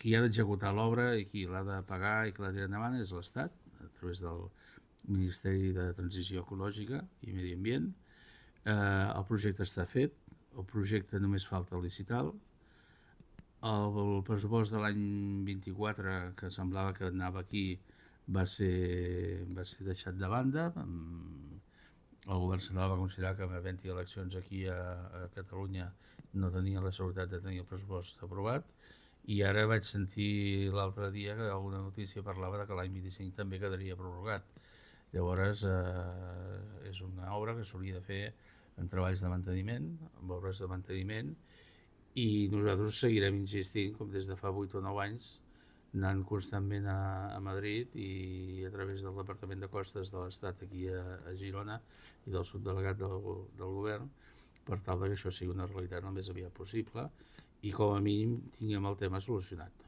qui ha d'executar l'obra i qui l'ha de pagar i qui l'ha de tirar endavant és l'Estat, a través del Ministeri de Transició Ecològica i Medi Ambient. El projecte està fet, el projecte només falta licitar-lo. El pressupost de l'any 24, que semblava que anava aquí, va ser deixat de banda. El govern central va considerar que havent-hi eleccions aquí a Catalunya no tenia la seguretat de tenir el pressupost aprovat, i ara vaig sentir l'altre dia que alguna notícia parlava de que l'any 25 també quedaria prorrogat. Llavors és una obra que s'hauria de fer en treballs de manteniment, amb obres de manteniment, i nosaltres seguirem insistint, com des de fa 8 o 9 anys, anant constantment a Madrid i a través del Departament de Costes de l'Estat aquí a Girona i del subdelegat del govern, per tal que això sigui una realitat el més aviat possible i com a mínim tinguem el tema solucionat.